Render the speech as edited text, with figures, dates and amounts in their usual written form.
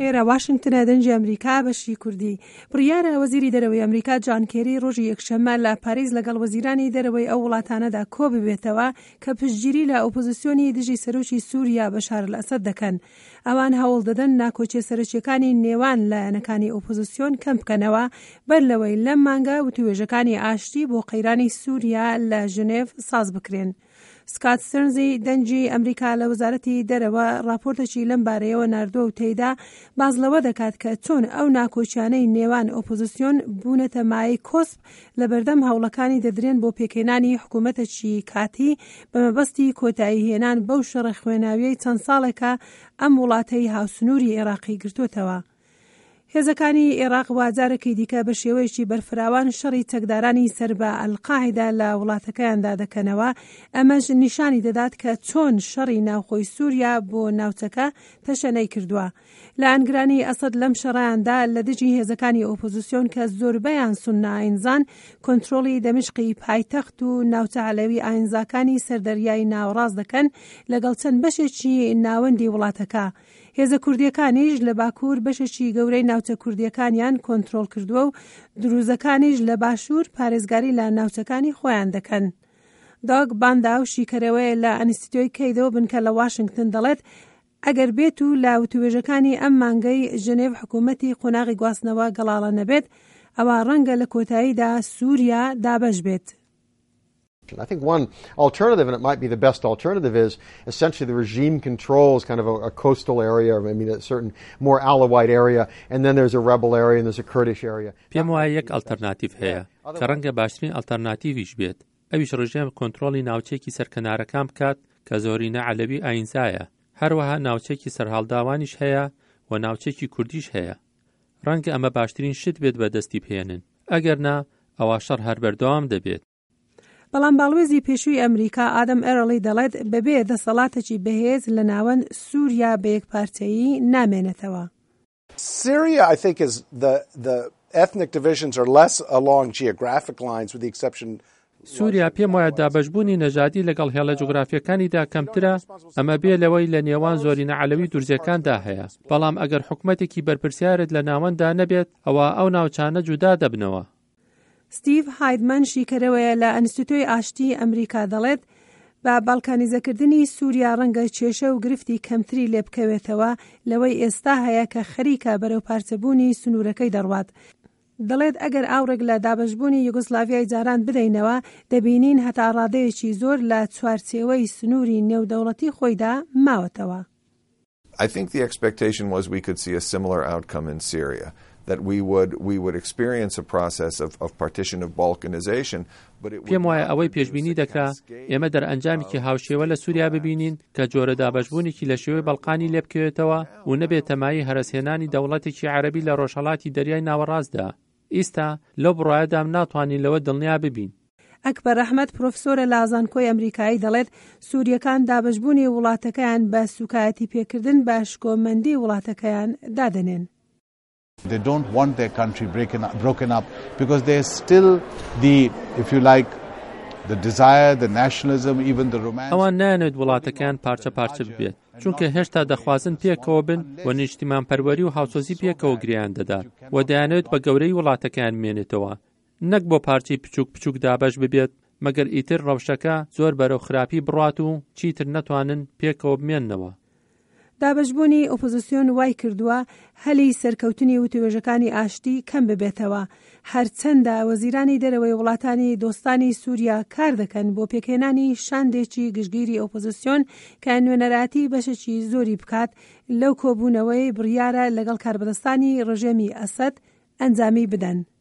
ئێرە واشنگتنە دەنگی ئەمریکا بەشی کوردی. بڕیارە وەزیری دەرەوەی ئەمریکا جان کێری ڕۆژی یەکشەممە لە پاریس لەگەڵ وەزیرانی دەرەوەی ئەو وڵاتانەدا کۆببێتەوە کە پشتگیری لە ئۆپۆزسیۆنی دژی سەرۆکی سوریا بەشار ئەلئەسەد دەکەن. ئەوان هەوڵ دەدەن ناکۆکیە سەرەکیەکانی نێوان لایەنەکانی ئۆپۆزسیۆن کەم بکەنەوە بەر لەوەی لەم مانگە وتووێژەکانی ئاشتی بۆ قەیرانی سوریا لە ژنێڤ ساز بکرێن. سکات سترنزی دەنگی ئەمریکا لە وەزارەتی دەرەوە ڕاپۆرتێکی لەم بارەیەوە ناردووە و تێیدا باس لەوە دەکات کە چۆن ئەو ناکۆکیانەی نێوان ئۆپۆزسیۆن بوونەتە مایەی کۆسپ لەبەردەم هەوڵەکانی دەدرێن بۆ پێکهێنانی حکوومەتێکی کاتی بە مەبەستی کۆتایی هێنان بەو شەڕە خوێناویەی چەند ساڵێکە ئەم وڵاتەی هاوسنووری عێراقی گرتووەتەوە. هێزەکانی ئێراق وا جارێکی دیکە بە شێوەیەکی بەرفراوان شەڕی چەکدارانی سەر بە ئەلقاعیدە لە وڵاتەکەیاندا دەکەنەوە، ئەمەش نیشانی دەدات کە چۆن شەڕی ناوخۆی سووریا بۆ ناوچەکە تەشەنەی کردووە. لایەنگرانی ئەسەد لەم شەڕەیاندا لە دژی هێزەکانی ئۆپۆزسیۆن کە زۆربەیان سوننە ئاینزان، کۆنترۆڵی دەمشقی پایتەخت و ناوچە عەلەوی ئاینزاکانی سەر دەریای ناوەڕاست دەکەن لەگەڵ چەند بەشێکی ناوەندی وڵاتەکە. هێزە کوردییەکانیش لە باکوور بەشێکی گەورەی ناوچە کوردییەکانیان کۆنترۆڵ کردووە و دروزەکانیش لە باشوور پارێزگاری لە ناوچەکانی خۆیان دەکەن. داگ بانداو شیکەرەوەیە لە ئەنستیتۆی کەیدۆ بنکە لە واشنگتن دەڵێت، ئەگەر بێت و لە وتووێژەکانی ئەم مانگەی ژنێڤ حکوومەتی قۆناغی گواستنەوە گەڵاڵە نەبێت، ئەوا ڕەنگە لە کۆتاییدا سووریا دابەش بێت. I think one alternative, and it might be the best alternative, is essentially the regime controls kind of a, a coastal area, or I mean a certain more Alawite area, and then there's a rebel area and there's a Kurdish area. پێم وایە یەک ئەڵتەرناتیڤ هەیە کە ڕەنگە باشترین ئەڵتەرناتیڤیش بێت، ئەویش ڕژێم کۆنترۆڵی ناوچەیەکی سەر کەنارەکان بکات کە زۆرینە عەلەوی ئایینزایە، هەروەها ناوچەیەکی سەرهەڵداوانیش هەیە و ناوچەیەکی کوردیش هەیە. ڕەنگە ئەمە باشترین شت بێت بەدەستی بهێنن، ئەگەر نا ئەوا شەڕ هەر بەردەوام دەبێت. بەڵام باڵوێزی پێشووی ئەمریکا ئادەم ئێرڵی دەڵێت بەبێ دەسەڵاتێکی بەهێز لە ناوەند سووریا بە یەکپارچەیی نامێنێتەوە. Syria, I think, is the, the ethnic divisions are less along geographic lines, with the exception سووریا پێم وایە دابەشبوونی نەژادی لەگەڵ هێڵە جوگرافییەکانیدا کەمترە، ئەمە بێ لەوەی لە نێوان زۆرینە عەلەوی دورزیەکاندا هەیە، بەڵام ئەگەر حکومەتێکی بەرپرسیارت لە ناوەنددا نەبێت، ئەوا ئەو ناوچانە جودا دەبنەوە. ستیڤ هایدمەن شیکەرەوەیە لە ئەنستیتۆی ئاشتیی ئەمریکا دەڵێت، بە باڵکانیزەکردنی سووریا ڕەنگە کێشە و گرفتی کەمتری لێبکەوێتەوە لەوەی ئێستا هەیە کە خەریکە بەرەو پارچەبوونی سنوورەکەی دەڕوات. دەڵێت ئەگەر ئاوڕێک لە دابەشبوونی یوگۆسلاڤیای جاران بدەینەوە، دەبینین هەتا ڕادەیەکی زۆر لە چوارچێوەی سنووری نێودەوڵەتی خۆیدا ماوەتەوە. I think the expectation was we could see a similar outcome in Syria, that we would we would experience a process of of partition of balkanization, but it would پێم وایە ئەوەی پێشبینی دەکرا ئێمە دەرئەنجامێکی هاوشێوە لە سووریا ببینین کە جۆرە دابەشبوونێکی لە شێوەی بەڵقانی لێ بکەوێتەوە و نەبێتە مایەی هەرەسهێنانی دەوڵەتێکی عەرەبی لە ڕۆژهەڵاتی دەریای ناوەڕاستدا. ئیستا لەو بڕوایەدام ناتوانین لەوە دڵنیا ببین. ئەکبەر ئەحمەد پرۆفسۆرە لە زانکۆی ئەمریکایی دەڵێت سوورییەکان دابەشبوونی وڵاتەکەیان بە سووکایەتی پێکردن بە شکۆمەندی وڵاتەکەیان دادەنێن. They don't want their country breaken, broken up because there's still the, if you like, the desire, the nationalism, even the romance. ئەوان نایانەوێت وڵاتەکەیان پارچە پارچە ببێت، چونکە هێشتا دەخوازن پێکەوە بن و نیشتیمانپەروەری و هاوسۆزی پێکەوە گرێیان دەدات و دەیانەوێت بە گەورەی وڵاتەکەیان بمێنێتەوە نەک بۆ پارچەی بچووک بچووک دابەش ببێت، مەگەر ئیتر ڕەوشەکە زۆر بەرەو خراپی بڕوات و چیتر نەتوانن پێکەوە بمێننەوە. دابەشبوونی ئۆپۆزسیۆن وای کردووە هەلی سەرکەوتنی وتوێژەکانی ئاشتی کەم ببێتەوە، هەرچەندە وەزیرانی دەرەوەی وڵاتانی دۆستانی سووریا کار دەکەن بۆ پێکهێنانی شاندێکی گشتگیری ئۆپۆزسیۆن کە نوێنەرایەتی بەشێکی زۆری بکات لەو کۆبوونەوەی بڕیارە لەگەڵ کاربەدەستانی ڕژێمی ئەسەد ئەنجامی بدەن.